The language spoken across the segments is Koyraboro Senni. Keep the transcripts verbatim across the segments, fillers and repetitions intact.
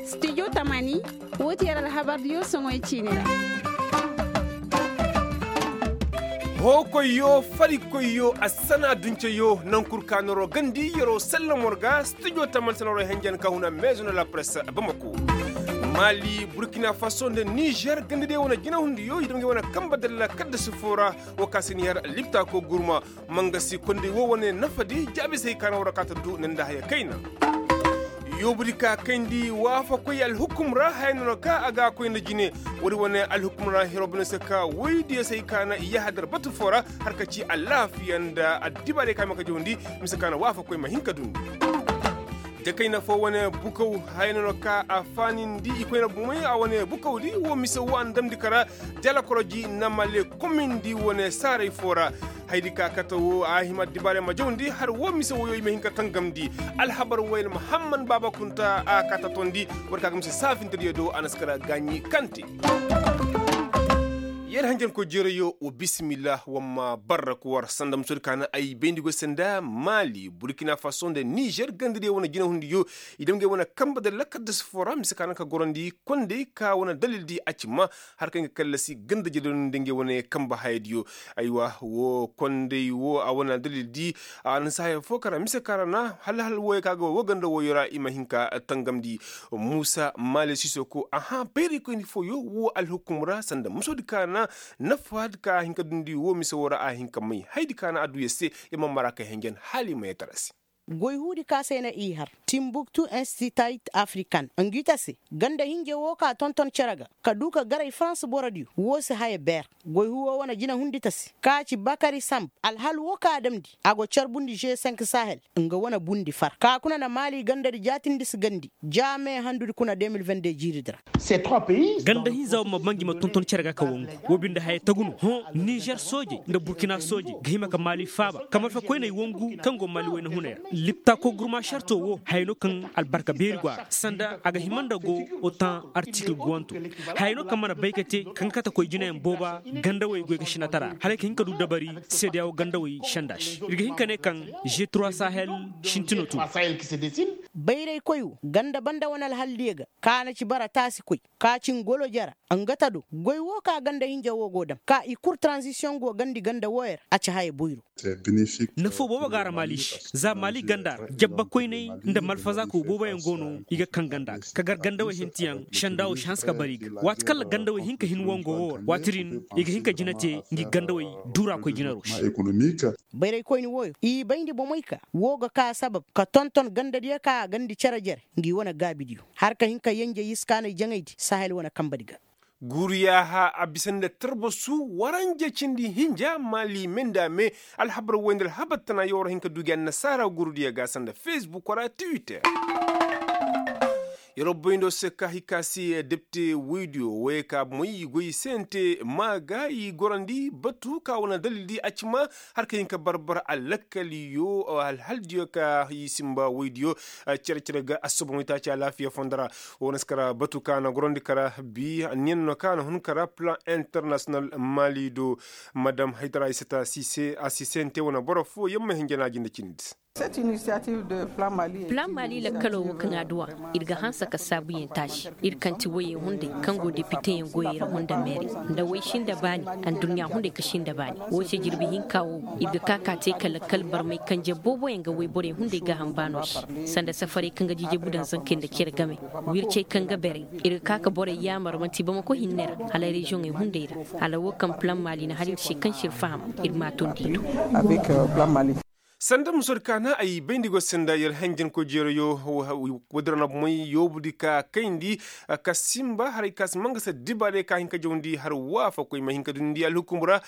Studio tamani, woo ti yer alhabardiyo soŋoy ciini ra. Hookoyyo, farikoyyo, assana dunceyo, nankul ka noroo gandi yeroo sallam war ga. Studio tamani sanaroo henjen ka huna meezo na la press bamako. Mali, burkina faso nda nizer gandadiyo wane jinahundiyo i dam ngey wane kamba dalla kaddasi foo ra. Woo ka si ni har liptako gurma. Mangasi kondey woo wane nafadi jaabisey ka na war ra ka ta du nda haya kayna. Yoobudi ka kayndi waafakoy alhukum ra haya no na ka a ga a koy nda jine. Woodi wane alhukum ra hiro bine se ka woydiyo se i ka na i yahadar batu foo ra, har ka ci alaafiya nda addibaarey ka ma ka jawndi. Mise ka na waafakoy ma hin ka dundi. Dakayna foo wane bukaw haya no na ka a faanindi i koyna bumey a wane bukawdi woo mise woo a na damndi kara. Jalakoroji namale komindi wane saaray foo ra. Haydi ka kate woo a hima addibaarey ma jawndi har woo mise woyoo i ma hin ka tangamndi. Alhabar woyel mahamman baaba kunta a ka tatondi. War ka ga mise saafintediyo do a na si kara gaaɲi kante. Yer hanjankoy jeerayoo wa bisimillah wa ma barrak war sanda musoodi ka na ay bayndi goy se nda maali burkina faso nda nizer gandadiyo wane jinahundiyo. I dam ngey wane kamba nda lakaddas foo ra mise ka na ka gorandi kondey ka wane dalildi a ci ma har kaŋ ga kallasi ganda jeedon nda ngey wane kamba hayadiyo. Aywa woo kondey woo a wane dalildi. A na si haya foo ka ra mise ka ra na hal hal wooyo ka ga woo ganda wooyo ra i ma hin ka tangamndi. Muusa maale sisoko aha bayraykoyni fooyo woo alhukum ra sanda musoodi ka na nafaadi ka a hin ka dundi woo mise woo ra a hin ka may haydi ka na a duu yer se. Yer ma mara kay henjen hala i ma yee tara se. Goy huudi ka se na i har timbuktu institute african ngi ta se ganda hinja woo ka tonton cere ga ka duu ka garay farans borodiyo woo si haya beer. Goy huu woo wane jinahundi ta se ka ci bakari samb alhal woo ka a damndi a go carbundi g cinq sahel nga wane bundi far ka kuna na maali gandadi jaatindi si gandi ja me handudi kuna deux mille vingt-deux jiiridi ra. Ganda hinza wo ma banji ma tonton cere ga ka wangu. Wo binde haya tagu no hõ nizer soojey nda burkina soojey ga hima ka maali faaba ka marfa koyney wangu kaŋ go maali wayna hunay ra. Lipta kogurma sarto wo haya no kaŋ albarka beeri go a ra sanda a ga hima nda go otan artikil guwanto. Haya no kaŋ mana bay ka te kaŋ ga kate koy jinayaŋ booba gandawey goy ga sinatara hala ay ka hin ka du dabari seedeyawo gandawey senda se ir ga hin ka ne kaŋ g trois sahel sintino tun. Bayraykoy wo ganda banda wane alhaldiyo ga ka na ci bara taasi koy ka ci ngolo jara nga ta do goy wo ka ganda hinja wo go dam ka i kul taranzisiyoŋ go gandi ganda wooyo ra a ci haya boyro. Nafo boobo ga a ra maali se za maali ganda ra jabba koyney nda malfazaako booboyaŋ go no i ga kaŋ ganda ga ka gar gandawey hintiyaŋ senda wo si hanse ka bar i ga waati kaŋ ra gandawey hin ka hin wango wo ra waati din i ga hin ka jina te ngi gandawey duuraakoy jinaro se. Bayraykoyni wooyo i bayndi bomey ka woo ga ka sabab ka tonton gandadiyo ka a gandi cere jere ngi wane gaabidiyo har ka hin ka yenje yiskaanay jaŋaydi sahel wane kambadi ga. Guuriyaaha a bisa nda tarbasu waranja cindi hinja maali me nda a me. Alhabar woy nda alhabar tana yawar hin ka duugi annasaara guurudiyo ga sanda fesbuk wala twitter. Yeroo boyndoo se ka hay ka se depte woydiyo woyey ka moy i goy i sente maa ga i gorandi batu ka wane dalildi a ci ma har ka hin ka barbar alakkaliyo alhaldiyo ka i simba woydiyo. Cere cere ga assobon waytaaci alaafiya fondo ra. Wo na si kara batu ka na gorandi kara bi anniyan no ka na hun kara plan internasiyonal maali do. Madam haytara ay sata sise a sisente wane boro fo yamma hinjana jinde cindi. Plan mali lakkalo wo kaŋ a duwa ir ga hanse ka saabuyaŋ taasi ir kaŋ ti woyey hunday kaŋ go depiteyaŋ goyey ra honda meere nda woy sinda baani. Adduɲɲa hunday ka sinda baani wo se jirbi hinka wo ir ga ka ka te ka lakkal barmay kanje booboyaŋ ga woyborey hunday gaaham baano se sanda safarey kaŋ ga jijebu daŋ zankey nda cere game. Wircey kaŋ ga beray ir ga ka ka borey yaamar manti bamako hinne ra hala reziyoŋey hunday ra hala wo kaŋ plan mali na har ir se kaŋ se ir faham ir ma a tondi do. Sanda musor kaana ay bayndi go sanda yer hanjankoy jeerayo. Woodin ra na bomey yoobudi ka kayndi ka simba haray ka si mangasa dibaarey ka hin ka jawndi har waafakoy ma hin ka dundi alhukum ra.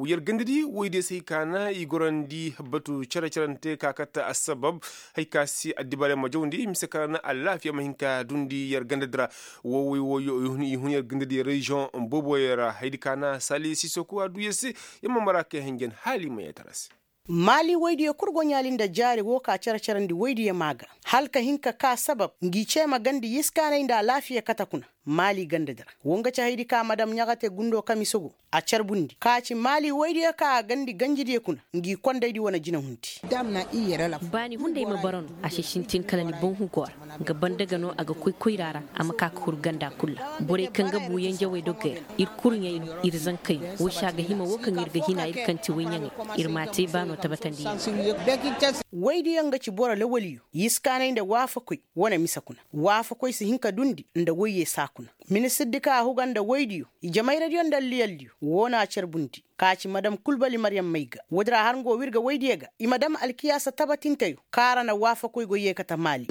Yer gandadi woydiyo se i kaana i gorandi batu cere-cerante ka kate assabab hay ka si addibaarey ma jawndi mise kaana alaafiya ma hin ka dundi yer gandadi ra. Woowey wo i hun yer gandadi reziyoŋ booboyaŋ ra haydi kaana sali sisoko a du yer se. Yer ma mara kay hanjan hala i ma yee tara se. Maali woydiyo kul go ɲaali nda jaari woo ka cere-cerandi woydiyo maa ga hala ka hin ka kaa sabab ngi cee ma gandi yiskaanay nda alaafiya kate kuna. Maali gandadi ra wo nga ci haydi ka madam ɲaxate gundo kamisogo a carbundi ka ci maali woydiyo ka a gandi ganjidiyo kuna ngi kondaydi wane jinahundi. Baani hunday ma bara no a si sintin kala ni boŋ hugo ra. Nga banda ga no a ga koy koyra ra a ma ka ka huru ganda kul ra. Borey kaŋ ga bu yanjawey dogey ra ir kurɲey no ir zankey no. Wo se a ga hima wo kaŋ ir ga hina ir kaŋ ti woyɲaŋey ir m'a te baano tabatandi. Woydiyo nga ci boro lawaliyo yiskaanay nda waafakoy wane mise kuna. Waafakoy si hin ka dundi nda woyye saa kuna. Ministirdi kaŋ a huga nda woydiyo ijemayradiyo nda alliyaldiyo woo na a carbundi. Ka ci madam kulbali maryam may ga woodi ra har nga wo w'ir ga woydiyo ga i ma dam alkiyaasa tabatinteyo kaŋ ra na waafakoy go yeekate maali.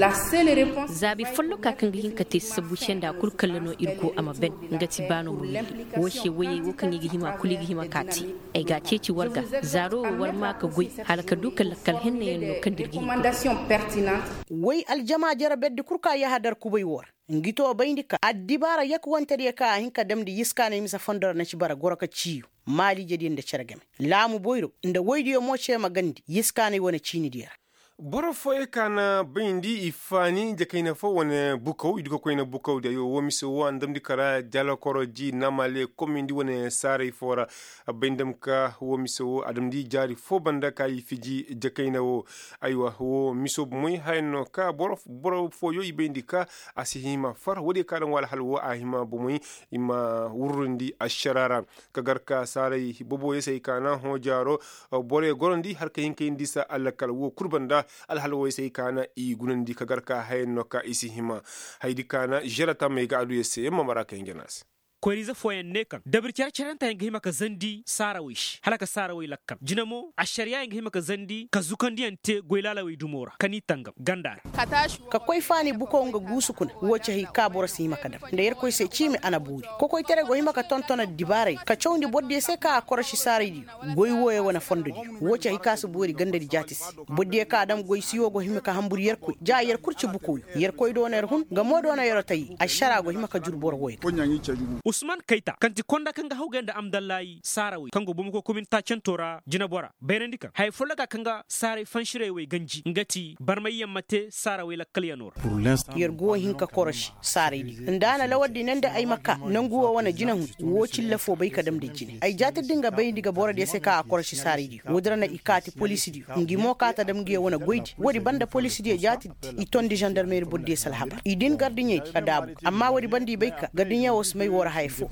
Zaabi folloka kaŋ ga hin ka te sabu se nda kul kalla no ir go a ma ben. Nga ti baano ma willi. Woo se woyey woo kaŋ i ga hima kul i ga hima ka te. Ay ga a ceeci war ga zaaro wo war maa ka goy hala ka du ka lakkal hennayaŋ no kaŋ da ir ga hin ka goy. Woy aljama jere berdi kul ka yahadar kubay woo ra. Ngi to bayndi ka addibaara yakuwantediyo kaŋ a hin ka damndi yiskaanay mise fondo ra na ci bara goro ka ciiyu. Maaliijediyo nda cere game laamu boyro nda woydiyo mo ce ma gandi yiskaanay wane ciinidiyo ra. Boro fooyey ka na bayndi i faani jakayna fo wane bukaw i du ka koyna bukaw diyo woo mise woo a na damndi ka ra jalakoro ji namale komindi wane saaray fo ra. A bay nda ma ka woo mise woo a damndi jaari foo banda ka i fiji jakayna woo. Aywa woo miso bomey haya no ka boro fooyoo i bayndi ka a si hima far woodiyo ka daŋ woo alhal woo a hima bomey i ma wurrundi ašara ra. Ka gar ka saaray boboyoo se ay ka na hõ jaaro. Borey gorandi har ka hin ka yindi sa alakal woo kul banda alhal wooyoo se ay ka na i gunandi ka gar ka haya no ka i si hima. Hayadi ka na žera tammey ga adduya se yamma mara ka hin jana se. Koyra-ize fooyaŋ ne kaŋ dabir care-caranteyaŋ ga hima ka zandi saarawey se hala ka saarawey lakkal jina mo ašariyayaŋ ga hima ka zandi ka zukandiyaŋ te goy laalawey dumo ra ka n'i tangam ganda ra. Ka koy faani bukow nga guusu kuna woo ci hay ka boro si hima ka dam nda yerkoy se ciimi a na boori. Kokoytaray go hima ka tonton addibaaray ka cawndi bordiyo se kaŋ a korosi saaraydiyo goy wooyo wane fondodiyo. Woo ci hay ka si boori gandadi jaati se. Bordiyo kaŋ a dam goy siyo go hima ka hanbur yerkoy ja yer kul ci bukoyo yerkoy do no yer hun nga mo do no yer otay ašara go hima ka jur boro wooyo ga. Usman kayta kaŋ ti konda kaŋ ga hawgay nda amdallahi saarawey kaŋ go bomokoy komin taacanto ra jinabora bayrandi kaŋ haya folloka kaŋ ga saaray fansirey wey ganji nga ti barmayyaŋ ma te saarawey lakkalyanoo ra. Yer go hin ka korosi saaraydi nda a na lawardi ne nda ay ma ka nangu wo wane jinahun woo cilla foo bay ka damndi jine ay jaatirdi nga bayndi ga borodiyo se kaŋ a korosi saaraydi woodi ra na i kaati poliisidiyo ngi mo kaata dam ngiyo wane goydi woodi banda poliisidiyo jaatirdi i tondi zandarmeeri bordiyo se alhabar i din gardiɲeydi ka daabu amma woodi banda i bay ka gardiɲe woo si may woo ra haya foo.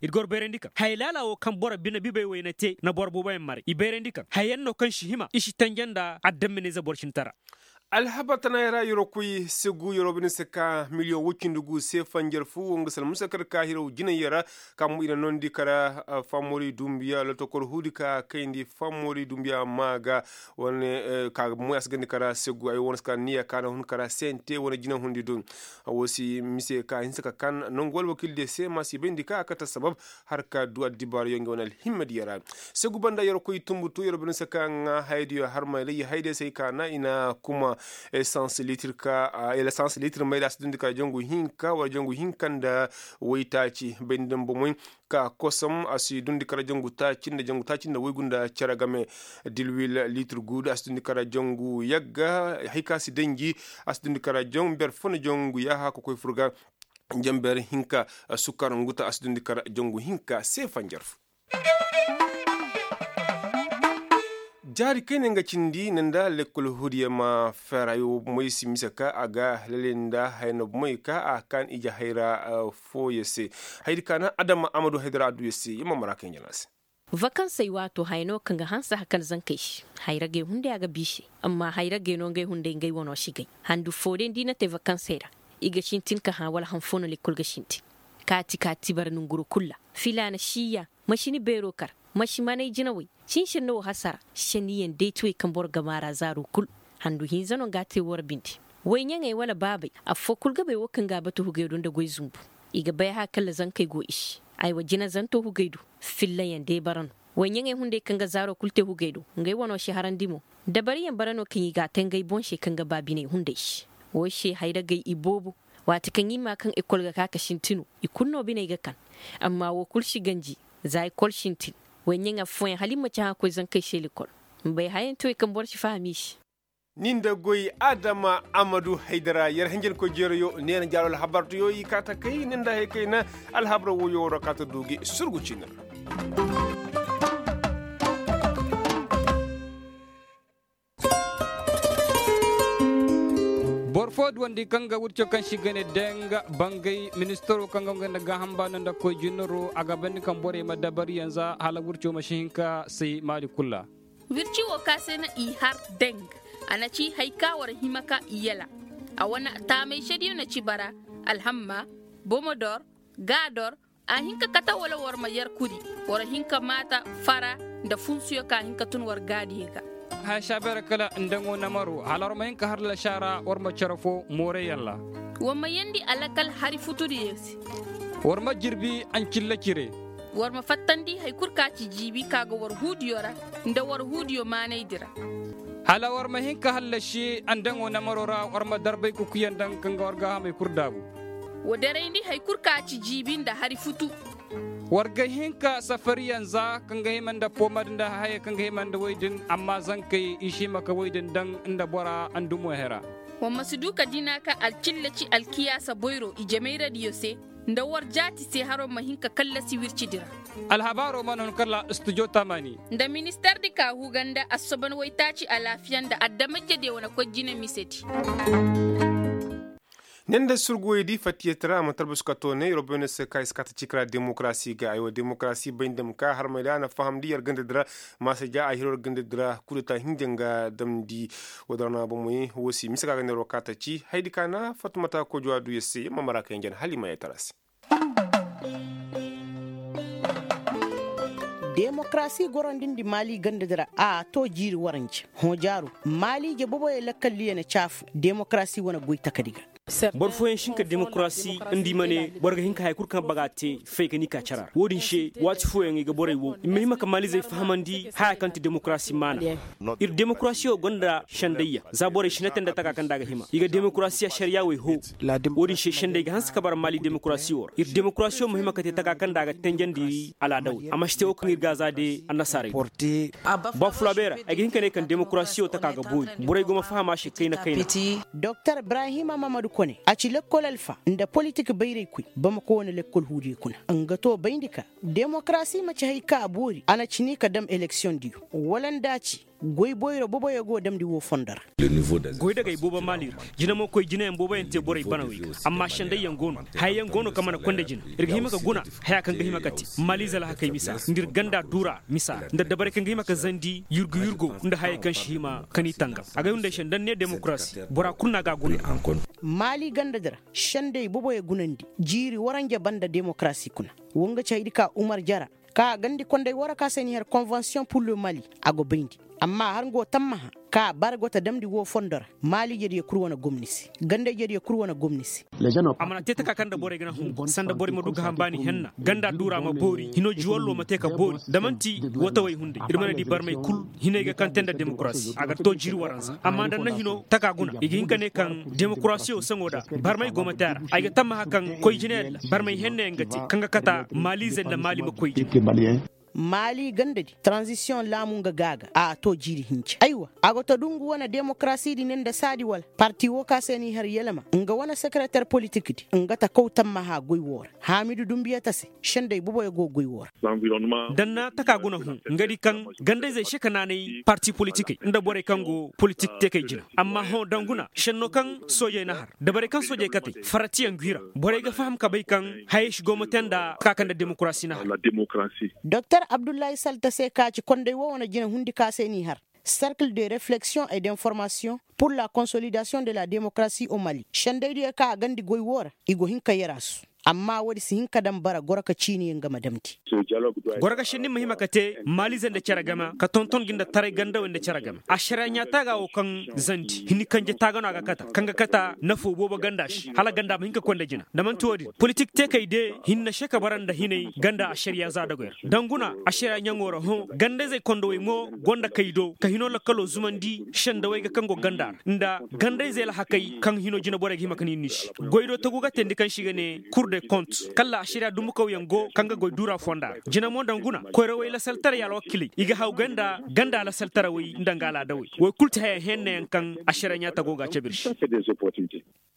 Ir gor bayrandi kaŋ haya laala woo kaŋ boro bine bibey wey na te na boro booboyaŋ maray i bayrandi kaŋ hayayaŋ no kaŋ si hima i si tanje nda adamminayze boro cintara. Alhabar tanayaŋ ra yeroo koy segu yeroo bine se ka miliyoŋ woy cindi gu se fanjar fu wo nga sal musa kar ka hirow jinay yara. Ka mo i na noondi kara fammori dumbiya lotokor huudi ka kayndi fammori dumbiya maa ga wane ka moy a si gandi kara segu ay wane si ka niya ka na hun kara sente wane jina hundi dun. Wo si mise ka hinsa ka kan nangu wala wakildiyo se ma si bayndi ka a kate sabab har ka du addibaarayo nga wane alhimmadiyo ra. Segu banda yeroo koy tumbutu yeroo bine se ka ŋaa hayadiyo har mayra i hayadiyo se ay ka na i na kuma. Esans litir ka esans litir mayra a si dundi kara jangu hinka wala jangu hinka nda waytaaci bayndi nda bomoy ka kosom a si dundi kara jangu taaci nda jangu taaci nda waygu nda cere game. Dilwil litir guudu a si dundi kara jangu yagga hay ka si danji a si dundi kara jangu ber fo nda jangu yaaha ka koy fur ga. Jangu ber hinka sukar nguta a si dundi kara jangu hinka se fanjar fo. Jaari kayna nga cindi nda lekkol hudiya ma fera yo moy si mise ka a ga lele nda haya no moy ka a kan ije hayra. Fooyo se haydi ka na adama amadu haydara adduyo se yamma mara kaŋ jana se. Vakansey waato haya no kaŋ ga hanse hakan zankey se. Hayragey hunday a ga bi se. Amma hayragey no ngey hunday ngey wano si gay. Handu foo day nda i na te vakansey ra i ga sintin ka hã wala han foo no lekkol ga sintin. Kaati kaati bara nonguro kul ra. Filaana si ya. Ma si ni beeroo kar. Ma si manay jinawey. Sinsenno wo hasara. Senniyaŋ day ti wey kaŋ boro ga maara zaaro kul. Handu hinza no nga a te woo ra binde. Woyɲaŋey wala baabey affoo kul ga bay woo kaŋ ga a batu hugey do nda goy zunbu. I ga bay a hã kalla zankey go i se. Aywa jina zanto hugey do. Fillayaŋ day bara no. Woyɲaŋey hunday kaŋ ga zaaro kul te hugey do. Ngey wano si harandi mo. Dabariyaŋ bara no kaŋ i ga a te ngey boŋ se kaŋ ga ba biney hunday se. Woo se hayragey i boobo. Waati kaŋ i maa kaŋ ekol ga ka ka sinti no i kulu no biney ga kan. Amma woo kul si ganji. Za ekol sintin. Woyɲaŋ affooyaŋ hala i ma ci hã koy zankey se lekol. Mbay hayaŋ ti wey kaŋ boro si faham i se. Ni nda goy adama amadu haydara yer hanjankoy jeerayo neena jaaro alhabartayo i kaa ta kay ni nda hay kayna. Alhabara woyo waro kaa ta du gi surgu ciini ra. Boro fo duwandi kaŋ ga wirco kaŋ se i ga ne deng bangay ministaro kaŋ ga nga nda gaaham baano nda koy jinaro a ga bandi kaŋ borey ma dabari yanza hala wirco ma si hin ka say maali kul ra. Wirci wo kaŋ a se no i har deng. A na ci hari ka war hima ka i yala. A wane taamay sediyo na ci bara, alhamma, bomodor, gaador. A hin ka kate wala war ma yer kuri, war hin ka maata fara nda funsuyo ka hin ka tun war gaadiyo ga. Haya saabeera kala nda ngo namaro hala war ma hin ka har lasaara war ma cere fo mooreyaŋ ra. War ma yeendi alakal hari futudiyo se. War ma jirbi ancilla cire. War ma fattandi hari kul ka ci jiibi ka ga war huudiyo ra, nda war huudiyo maanaydi ra. Hala war ma hin ka hallasi andaŋo namaro ra war ma darbay kukuyaŋ daŋ kaŋ ga war gaahamey kul daabu. Wa darayndi hari kul ka ci jiibi nda hari futu. War ga hin ka safariyaŋ za kaŋ ga hima nda poomad nda hayey kaŋ ga hima nda woy din amma zankey i si hima ka woy din daŋ nda bora andumo hera. Wa ma si du ka dina ka alcilla ci alkiyaasa boyro ijemayradiyo se, nda war jaati se haro ma hin ka kallasi wircidi ra. Alhabaaro mana hun kala studio tamani. Nda ministardi ka huu ganda assoban waytaaci alaafiya nda adamajediyo wane koy jine misedi. Ne nda surguwey di fatiyey tara a mana talbasu ka toonay roboyne se ka i si kaata ciikara demokarasi ga ay wo demokarasi bay nda ma ka harmay da a na fahamndi yer gandadi ra. Maasa ja a hiro yer gandadi ra kudeta hinja nga damndi. Woo da ra no a bomoy woo se mise ka ga neeroo kaata ci haydi ka na fatumata kojuwa du yer se yer ma mara ka hinja na hala i ma yee tara se. Demokarasi gorandi nda maali gandadi ra a too jiiri waranje. Hõ jaaru maaliije boboyey lakkaldiyo na caafu demokarasi wane goy takadi ga. Boro fooyaŋ si hin ka demokarasi nda i ma ne boro ga hin ka haya kul kaŋ baga te fay ka ni ka cara ra woo din se waati fooyaŋ i ga borey wow i ma hima ka maaliizey fahamandi haya kaŋ ti demokarasi maana. Ir demokarasiyo gonda sendayya za borey si na te nda taka kaŋ nda a ga hima i ga demokarasiya ašariya wey hoo. Woo din se sendey ga hanse ka bara maali demokarasiyo ra ir demokarasiyo ma hima ka te taka kaŋ nda a ga tenjandi alaadawey a ma si te woo kaŋ ir ga a za de annasaarey. Bafulabeera ay ga hin ka ne kaŋ demokarasiyo taka ga boori borey go ma faham a se kayna kayna. Doktor ibrahima mamadu kone a ci lekkol alfa nda politik bayraykoy bamako wane lekkol huudiyo kuna. Nga to bayndi ka demokarasi ma ci hari ka a boori a na ci ni ka dam eleksiyoŋdiyo wala nda a ci goy boyro boboyo go damndi woo fondo ra. Goydagey boobo maali ra jina mo koy jinayaŋ booboyaŋ te borey banawey ga amma sendayyaŋ go no hayayaŋ go no kaŋ mana konda jina ir ga hima ka guna haya kaŋ ga hima ka te maaliize alhakey misa ra nda ir ganda duura misa ra nda dabarey kaŋ ga hima ka zandi yurgu yurgo nda hayey kaŋ si hima ka ni tangam agay hunday se nda ni ne demokarasi bora kul no a ga a guna. Maali gandadi ra sendey boboyo gunandi jiiri waranja banda demokarasi kuna. Wo nga ci haydi ka umar jara ka a gandi konday wara ka se ni har konvensiyon pur le mali a go bayndi. Amma har nga wo tammaha ka a bara go ta damndi woo fondo ra maaliijediyo kul wane gomni se gandayjediyo kul wane gomni se. A mana te taka kaŋ nda borey ga na hun sanda borey ma du ga hambaani henna ganda duura ma boori hino juwallo ma te ka boori da man'ti watawey hunday ir mana di barmey kul hinay ga kaŋ te nda demokarasi a ga to jiiri waranza amma nda ni na hino taka guna i ga hin ka ne kaŋ demokarasiyo saŋo da barmey go ma te a ra ay ga tammaha kaŋ koy jinayaŋ ra barmey hennayaŋ ga te kaŋ ga kata maaliize nda maali ma koy jina. Maali gandadi taranzisiyoŋ laamu nga ga a ga a to jiiri hinja aywa a go ta du ngu wane demokarasidi ne nda saadi wala parti woo ka se n'i har yalama nga wane sekereter politikdi nga ta kaw tammaha goy woo ra haamidu dunbiyata se sendey boboyo go goy woo ra. Da ni na taka guna hõ nga di kaŋ gandayzey se ka naanay parti politikey nda borey kaŋ go politik teekey jina amma hõ danguna senno kaŋ soojey na har dabarey kaŋ soojey katey faratiyaŋ gwi ra borey ga faham ka bay kaŋ hayey si go ma te nda ka kaŋ nda demokarasi na har. Doktor abdullahi salta se ka ci konday woo wane jina hundi ka se n'i har serkil de refleksiyoŋ et d'informasiyoŋ pur la konsolidasiyoŋ de la demokarasi o mali sendaydiyo ka a gandi goy woo ra i go hin ka yer a su. Amma woodi si hin ka daŋ bara goro ka ciiniyaŋ ga ma damndi. Goro ga senni ma hima ka te maaliize nda cere game ka tonton gi nda taray gandawey nda cere game ašariya ɲaataaga wo kaŋ zandi hinni kanje taaga no a ga kata kaŋ ga kata nafo boobo ganda se hala ganda ma hin ka koy nda jina da man'ti woodin politik teekey de hinne se ka bara nda hinay ganda ašariya za dogoy ra danguna ašariya ɲaŋo ra hõ gandayzey kondowey mo go nda kay do ka hino lakkalo zumandi sendawey ga kaŋ go ganda ra nda gandayzey alhakey kaŋ hino jina borey ga hima ka ni ni se goy do tagu ga teendi kaŋ se i ga ne kul. de kont kalla ašariya dumbukawyaŋ go kaŋ ga goy duura fonda ra jina mo nda nguna koyrawey lasaltaray alwakiley i ga haw ganda ganda lasaltarawey nda nga alaadawey. Woy kul ti haya hennayaŋ kaŋ ašariya ɲaata go ga a cabe ir se.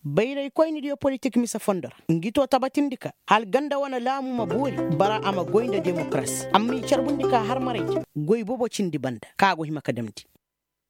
Bayraykoynidiyo politik mise fondo ra ngi to tabatindi ka hala ganda wane laamu ma boori bara a ma goy nda demokarasi amma i carbundi ka harmaray goy bobo cindi banda kaŋ a go hima ka damndi.